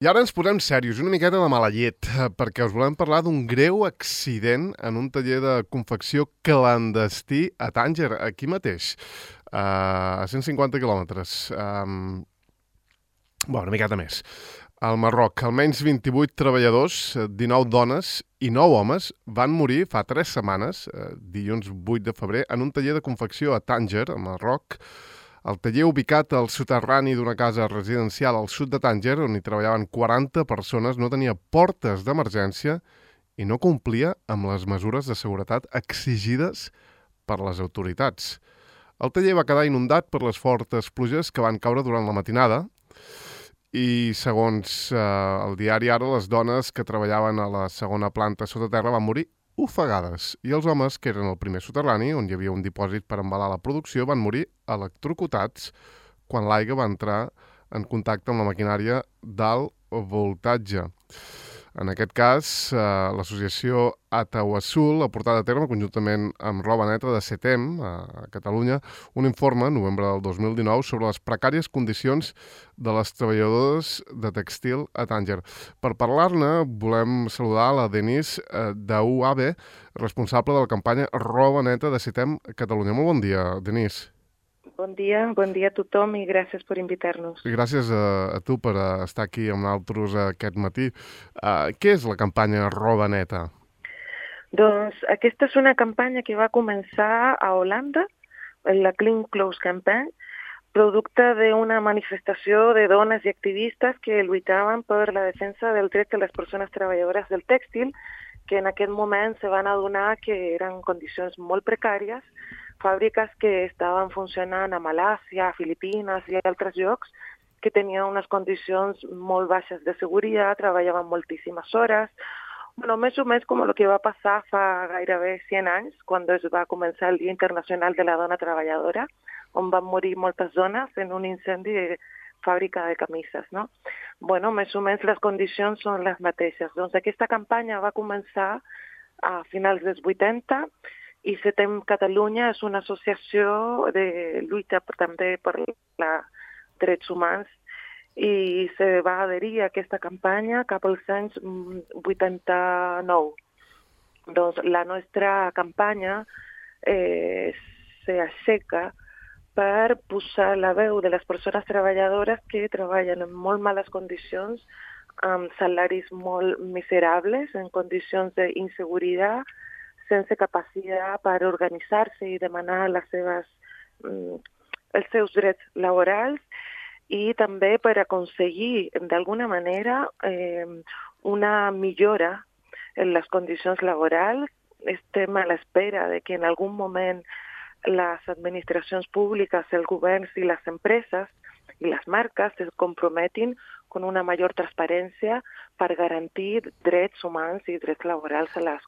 I ara ens posem serios, una miqueta de mala llet, perquè us volem parlar d'un greu accident en un taller de confecció clandestí a Tànger, aquí mateix, a 150 quilòmetres. Una miqueta més. Al Marroc, almenys 28 treballadors, 19 dones i 9 homes van morir fa 3 setmanes, dilluns 8 de febrer, en un taller de confecció a Tànger, al Marroc. El taller ubicat al soterrani d'una casa residencial al sud de Tànger, on hi treballaven 40 persones, no tenia portes d'emergència i no complia amb les mesures de seguretat exigides per les autoritats. El taller va quedar inundat per les fortes pluges que van caure durant la matinada i, segons el diari Ara, les dones que treballaven a la segona planta sota terra van morir ofegades, i els homes, que eren al primer soterrani, on hi havia un dipòsit per embalar la producció, van morir electrocutats quan l'aigua va entrar en contacte amb la maquinària d'alt voltatge. En aquest cas, l'associació Atawassul ha portat a terme, conjuntament amb Roba Neta de CETEM, a Catalunya, un informe, novembre del 2019, sobre les precàries condicions de les treballadores de tèxtil a Tànger. Per parlar-ne, volem saludar la Denise d'UAB, responsable de la campanya Roba Neta de CETEM a Catalunya. Molt bon dia, Denise. Bon dia a tothom i gràcies per invitar-nos. Gràcies a tu per estar aquí amb nosaltres aquest matí. Què és la campanya Roba Neta? Doncs aquesta és una campanya que va començar a Holanda, la Clean Clothes Campaign, producte d'una manifestació de dones i activistes que lluitaven per la defensa del dret de les persones treballadores del tèxtil, que en aquest moment se van adonar que eren condicions molt precàries, fàbriques que estaven funcionant a Malàisia, a Filipines i a altres llocs, que tenien unes condicions molt baixes de seguretat, treballaven moltíssimes hores, més o menys com el que va passar fa gairebé 100 anys, quan es va començar el Dia Internacional de la Dona Treballadora, on van morir moltes dones en un incendi de fàbrica de camises, no? Més o menys les condicions són les mateixes. Doncs aquesta campanya va començar a finals dels 80, i CETEM Catalunya és una associació de lluita també per drets humans i se va adherir a aquesta campanya cap als anys 89. Doncs la nostra campanya s'aixeca per posar la veu de les persones treballadores que treballen en molt males condicions, amb salaris molt miserables, en condicions d'inseguretat, sense capacitat per organitzar-se i demanar els seus drets laborals, i també per aconseguir, d'alguna manera, una millora en les condicions laborals. Estem a l'espera de que en algun moment les administracions públiques, els governs i les empreses i les marques es comprometin con una major transparència per garantir drets humans i drets laborals a les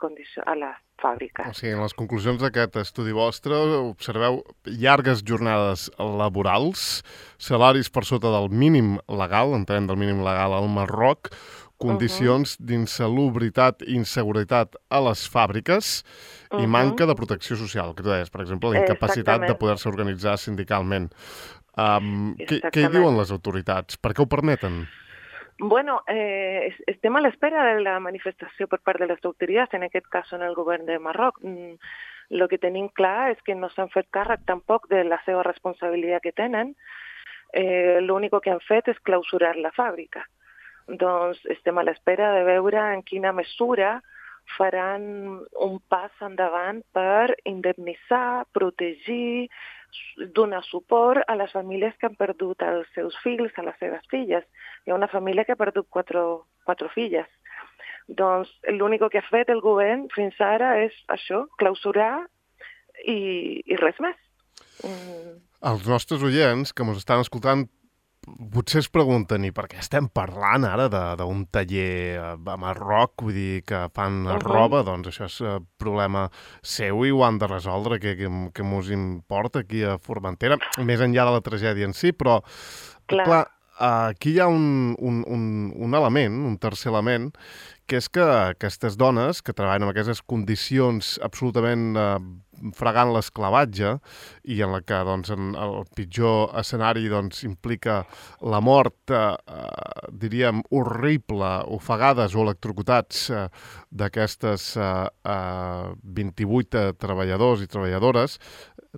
fàbriques. O sigui, en les conclusions d'aquest estudi vostre observeu llargues jornades laborals, salaris per sota del mínim legal, entenem del mínim legal al Marroc, condicions d'insalubritat i inseguretat a les fàbriques i manca de protecció social, que tu deies, per exemple, la incapacitat de poder-se organitzar sindicalment. Què hi diuen les autoritats? Per què ho permeten? Estem a l'espera de la manifestació per part de les autoritats, en aquest cas en el govern de Marroc. El que tenim clar és que no s'han fet càrrec tampoc de la seva responsabilitat que tenen. L'únic que han fet és clausurar la fàbrica. Doncs estem a l'espera de veure en quina mesura faran un pas endavant per indemnitzar, protegir, donar suport a les famílies que han perdut els seus fills, a les seves filles. Hi ha una família que ha perdut quatre filles. Doncs l'únic que ha fet el govern fins ara és això, clausurar i res més. Els nostres oients que ens estan escoltant potser es pregunten, i per què estem parlant ara d'un taller a Marroc, vull dir que fan roba, doncs això és problema seu i ho han de resoldre, que mos importa aquí a Formentera, més enllà de la tragèdia en si, però clar, aquí hi ha un element, un tercer element, que és que aquestes dones que treballen en aquestes condicions absolutament fregant l'esclavatge i en la que doncs, el pitjor escenari doncs, implica la mort, diríem, horrible, ofegades o electrocutats d'aquestes 28 treballadors i treballadores,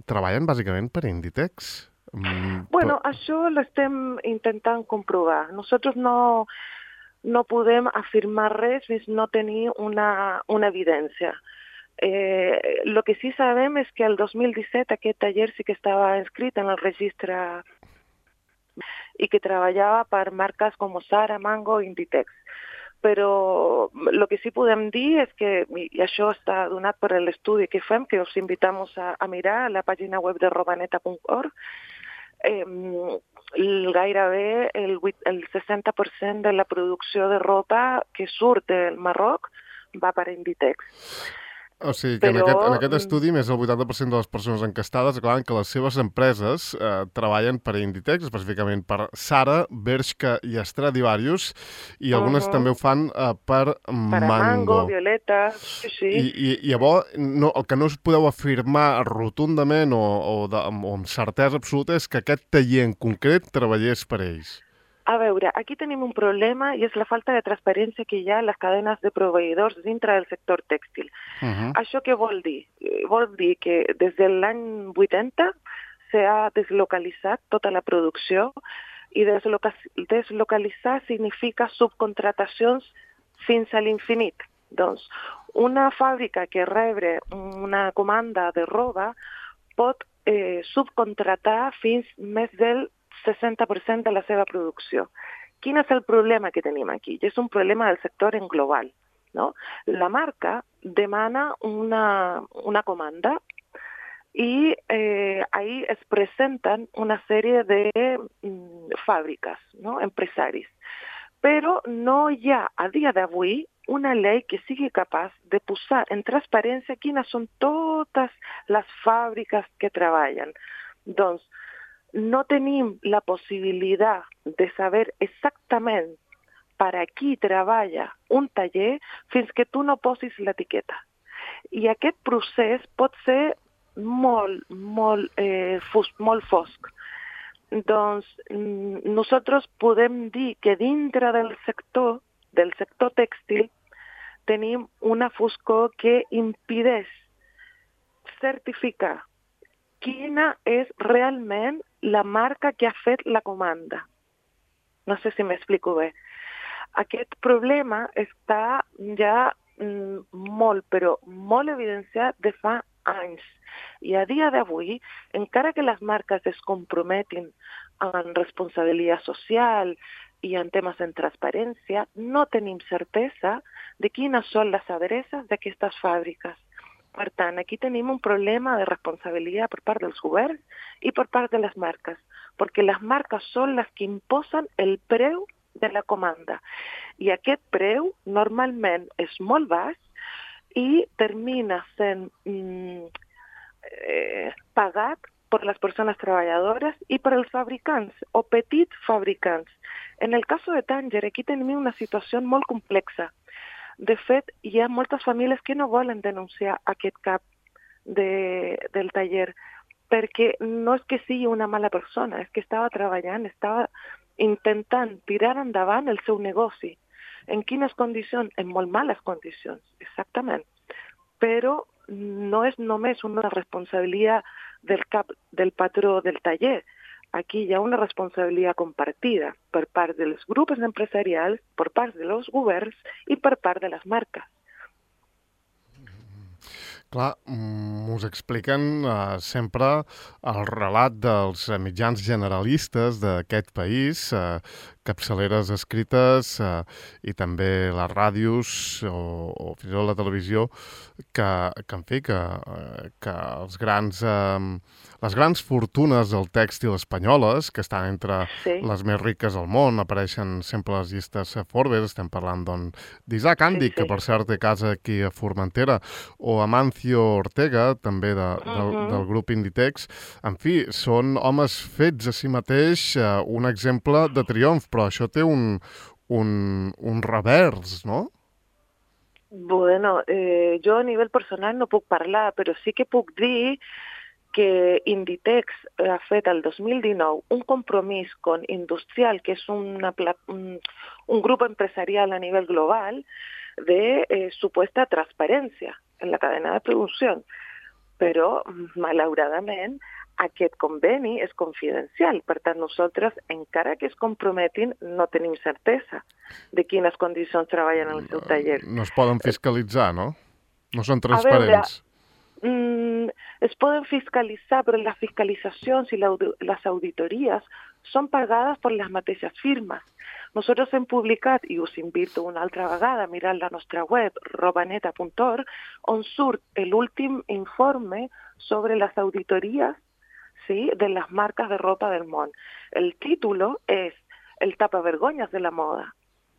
treballen bàsicament per Inditex. Bueno, això l'estem intentant comprovar. Nosaltres no podem afirmar res fins no tenir una evidència. Lo que sí sabem és que el 2017 aquest taller sí que estava inscrit en el registre i que treballava per marques com Zara, Mango i Inditex. Però el que sí podem dir és que, i això està donat per l'estudi que fem, que us invitem a mirar a la pàgina web de robaneta.org, gairebé el 60% de la producció de ropa que surt del Marroc va per Inditex. O sigui que en aquest estudi més del 80% de les persones encastades declaren que les seves empreses treballen per Inditex, específicament per Zara, Bershka i Stradivarius, i algunes també ho fan per Mango. Violeta, sí. I llavors, el que no us podeu afirmar rotundament o amb certesa absoluta és que aquest taller en concret treballés per ells. A veure, aquí tenim un problema i és la falta de transparència que hi ha a les cadenes de proveïdors dintre del sector tèxtil. Això què vol dir? Vol dir que des de l'any 80 s'ha deslocalitzat tota la producció i deslocalitzar significa subcontratacions fins a l'infinit. Doncs una fàbrica que rebre una comanda de roba pot subcontratar fins més del 60% de la seva producció. Quin és el problema que tenim aquí? I és un problema del sector en global. No? La marca demana una comanda i ahí es presenten una sèrie de fàbriques, no? Empresaris. Però no hi ha a dia d'avui una llei que sigui capaç de posar en transparència quines són totes les fàbriques que treballen. Doncs no tenim la possibilitat de saber exactament per a qui treballa un taller fins que tu no posis l'etiqueta. I aquest procés pot ser molt fosc. Doncs nosaltres podem dir que dintre del sector tèxtil tenim una foscor que impedeix certificar quina és realment la marca que ha fet la comanda. No sé si m'explico bé. Aquest problema està ja molt evidenciat de fa anys. I a dia d'avui, encara que les marques es comprometin en responsabilitat social i en temes en transparència, no tenim certesa de quines són les adreces d'aquestes fàbriques. Per tant, aquí tenim un problema de responsabilitat per part dels governs i per part de les marques, perquè les marques són les que imposen el preu de la comanda. I aquest preu normalment és molt baix i termina sent pagat per les persones treballadores i per els fabricants o petits fabricants. En el cas de Tanger, aquí tenim una situació molt complexa. De fet, hi ha moltes famílies que no volen denunciar aquest cap del taller, perquè no és que sigui una mala persona, és que estava treballant, estava intentant tirar endavant el seu negoci. En quines condicions? En molt males condicions, exactament. Però no és només una responsabilitat del cap del patró del taller. Aquí hi ha una responsabilitat compartida per part dels grups empresarials, per part dels governs i per part de les marques. Clar, us expliquen sempre el relat dels mitjans generalistes d'aquest país, capçaleres escrites i també les ràdios o fins i tot la televisió, que en fi, que les grans fortunes del tèxtil espanyoles, que estan entre les més riques del món, apareixen sempre a les llistes Forbes, estem parlant d'Isaac Andy, que per cert té casa aquí a Formentera, o Amancio Ortega, també del grup Inditex. En fi, són homes fets a si mateix un exemple de triomf, però això té un revers, no? Bueno, jo a nivell personal no puc parlar, però sí que puc dir que Inditex ha fet el 2019 un compromís con Industrial, que és un grup empresarial a nivell global, de supuesta transparència en la cadena de producció. Però, malauradament, aquest conveni és confidencial. Per tant, nosaltres, encara que es comprometin, no tenim certesa de quines condicions treballen en el seu taller. No es poden fiscalitzar, no? No són A veure, transparents. es poden fiscalitzar, però les fiscalitzacions i les auditories són pagades per les mateixes firmes. Nosaltres hem publicat, i us invito una altra vegada a mirar la nostra web, robaneta.org, on surt l'últim informe sobre les auditories, ¿sí?, de les marques de ropa del món. El títol és El tapavergonyes de la moda.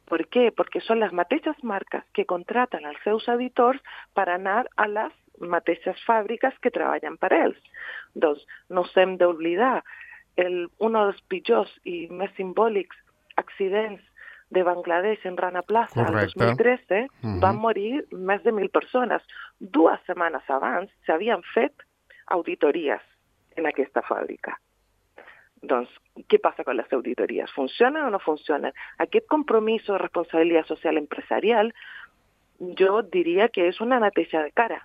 Per què? Perquè són les mateixes marques que contraten els seus auditors per anar a les mateixes fàbriques que treballen per ells. Doncs no s'hem d'oblidar, un dels pitjors i més simbòlics accidents de Bangladesh en Rana Plaza el 2013 van morir més de 1.000 persones. 2 setmanes abans s'havien fet auditories en aquesta fàbrica. Doncs, què passa con les auditories? Funcionen o no funcionen? Aquest compromís de responsabilitat social empresarial jo diria que és una neteja de cara,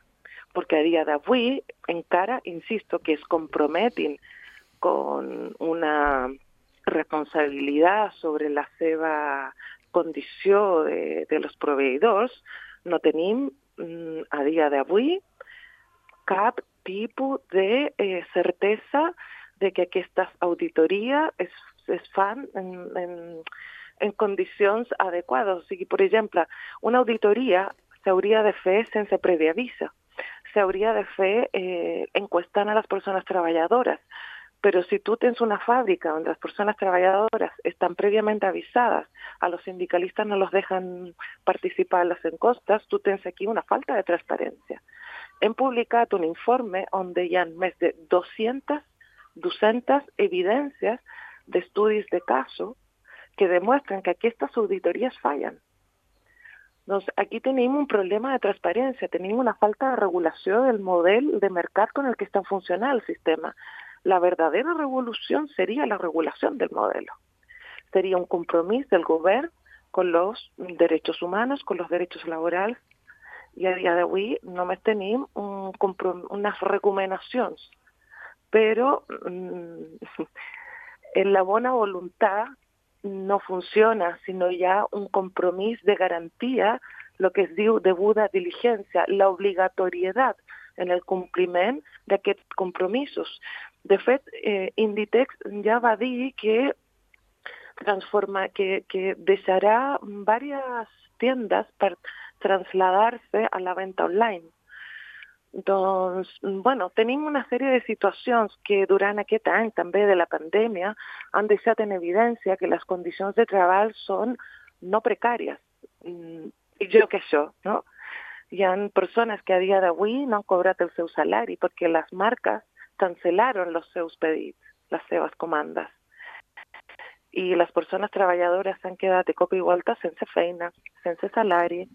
perquè a dia d'avui encara, insisto, que es comprometin con una responsabilitat sobre la seva condició de los proveïdors, no tenim a dia d'avui cap tipus de certesa de que aquestes auditories es fan en condicions adequades. O sigui, per exemple, una auditoria s'hauria de fer sense previ avís. S'hauria de fer encuestant a les persones treballadores. Però si tu tens una fàbrica on les persones treballadores estan prèviament avisades, a los sindicalistas no los dejan participar en les encuestes, tu tens aquí una falta de transparència. Hem publicat un informe on hi ha més de 200 evidències d'estudis de casos que demostren que aquestes auditories fallen. Doncs aquí tenim un problema de transparència, tenim una falta de regulació del model de mercat con el que està funcionant el sistema. La verdadera revolución sería la regulación del modelo. Sería un compromiso del gobierno con los derechos humanos, con los derechos laborales, i a dia d'avui només tenim unes recomanacions. Però en la bona voluntat no funciona si no hi ha un compromís de garantia, el que es diu deguda diligència, l'obligatorietat en el compliment d'aquests compromisos. De fet, Inditex ja va dir que deixarà diverses tiendas per traslladar-se a la venda online. Doncs, bueno, tenim una sèrie de situacions que durant aquest any també de la pandèmia han deixat en evidència que les condicions de treball són no precàries. Pitjor que això, no? Hi ha persones que a dia d'avui no han cobrat el seu salari perquè les marques cancel·laron els seus pedits, les seves comandes. I les persones treballadores s'han quedat de cop i volta sense feina, sense salari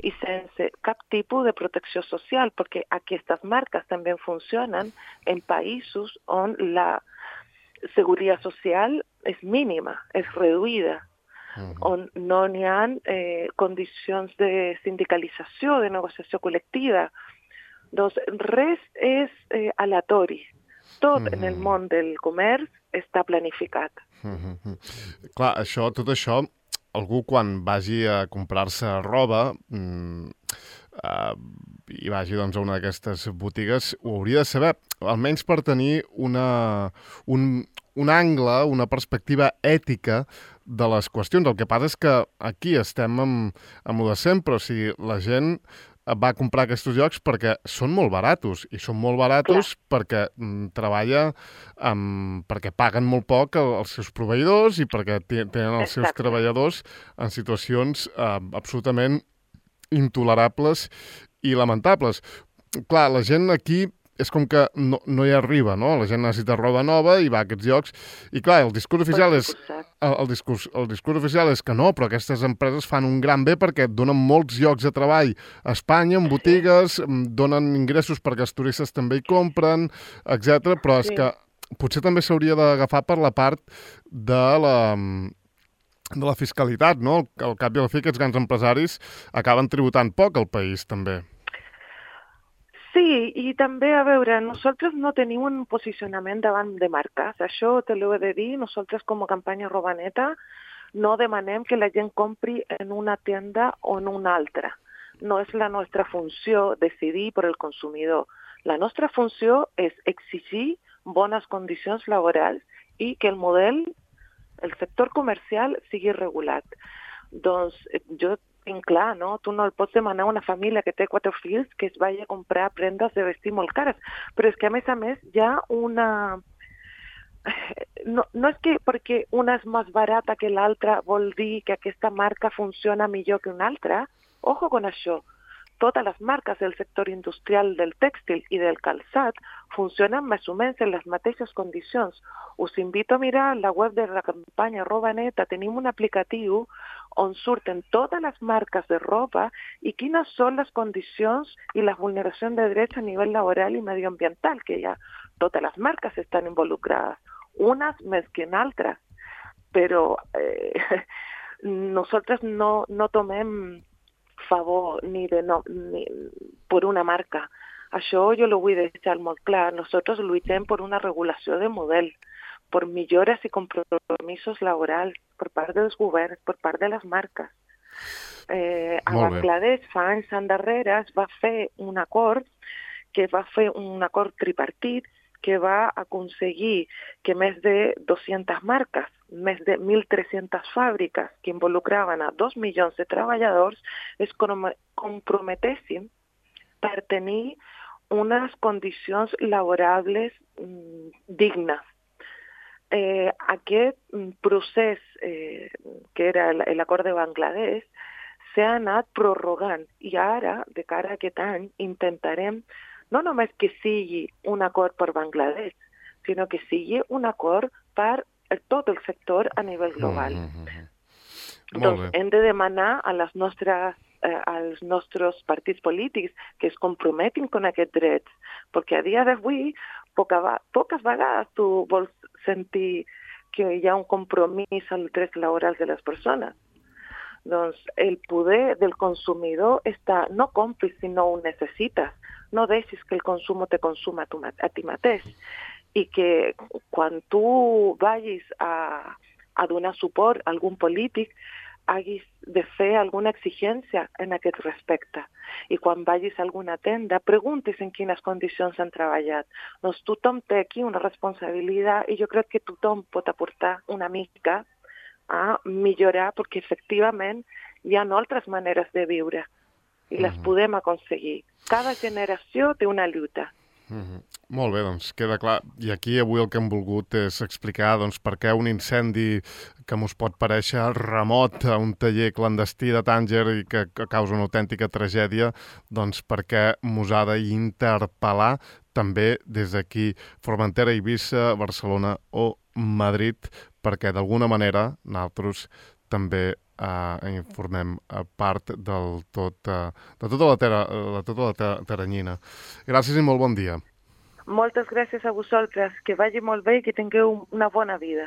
i sense cap tipus de protecció social, perquè aquestes marques també funcionen en països on la seguretat social és mínima, és reduïda, on no n'hi ha condicions de sindicalització, de negociació col·lectiva. Doncs res és aleatori. Tot en el món del comerç està planificat. Clar, tot això, algú quan vagi a comprar-se roba i vagi doncs, a una d'aquestes botigues, ho hauria de saber, almenys per tenir un angle, una perspectiva ètica de les qüestions. El que passa és que aquí estem amb el de sempre, o sigui, la gent va comprar aquests llocs perquè són molt baratos, i són molt baratos perquè perquè paguen molt poc els seus proveïdors i perquè tenen els seus treballadors en situacions absolutament intolerables i lamentables. Clar, la gent aquí és com que no hi arriba, no? La gent necessita roba nova i va a aquests llocs. I clar, el discurs oficial és... El discurs oficial és que no, però aquestes empreses fan un gran bé perquè et donen molts llocs de treball a Espanya, en botigues, donen ingressos perquè els turistes també hi compren, etc. Però és que potser també s'hauria d'agafar per la part de la fiscalitat, no? Al cap i a la fi, aquests grans empresaris acaben tributant poc al país, també. Sí, i també, a veure, nosaltres no tenim un posicionament davant de marques. Això te l'ho he de dir. Nosaltres, com a campanya Robaneta, no demanem que la gent compri en una tienda o en una altra. No és la nostra funció decidir per el consumidor. La nostra funció és exigir bones condicions laborals i que el sector comercial sigui regulat. Doncs jo tinc clar, no? Tu no el pots demanar a una família que té 4 fills que es vagi a comprar prendes de vestir molt cares. Però és que, a més, hi ha una... No és que perquè una és més barata que l'altra vol dir que aquesta marca funciona millor que una altra. Ojo con això. Totes les marques del sector industrial del tèxtil i del calçat funcionen més o menys en les mateixes condicions. Us invito a mirar la web de la campanya Robaneta. Tenim un aplicatiu on surten totes les marques de roba i quines són les condicions i la vulneració de drets a nivell laboral i medioambiental, que ja totes les marques estan involucrades, unes més que en altres. Però nosaltres no tomem favor ni per una marca. Això jo ho vull deixar molt clar. Nosaltres lluitem per una regulació de model, per millores i compromisos laborals per part dels governs, per part de les marques. A Bangladesh fa anys endarrere es va fer un acord tripartit que va aconseguir que més de 200 marques, més de 1.300 fàbriques que involucraven a 2 milions de treballadors es comprometessin per tenir unes condicions laborables dignes. Aquest procés, que era l'acord de Bangladesh, s'ha anat prorrogant i ara, de cara a aquest any, intentarem no només que sigui un acord per Bangladesh, sinó que sigui un acord per tot el sector a nivell global. Doncs hem de demanar als nostres partits polítics que es comprometin amb aquests drets, perquè a dia d'avui poques vegades tu vols sentir que hi ha un compromís als drets laborals de les persones. Doncs el poder del consumidor està, no compris si no ho necessites, no deixis que el consum te consuma a ti mateix, i que quan tu vagis a donar suport a algun polític hagis de fer alguna exigència en aquest respecte. I quan vagis a alguna tenda, preguntis en quines condicions han treballat. Doncs tothom té aquí una responsabilitat i jo crec que tothom pot aportar una mica a millorar, perquè efectivament hi ha altres maneres de viure i les podem aconseguir. Cada generació té una lluita. Molt bé, doncs queda clar. I aquí avui el que hem volgut és explicar per què un incendi que mos pot parèixer remot a un taller clandestí de Tànger i que causa una autèntica tragèdia, doncs per què mos ha d'interpel·lar també des d'aquí Formentera, Eivissa, Barcelona o Madrid, perquè d'alguna manera nosaltres també informem part de tota la teranyina. Gràcies i molt bon dia. Moltes gràcies a vosaltres, que vagi molt bé i que tingueu una bona vida.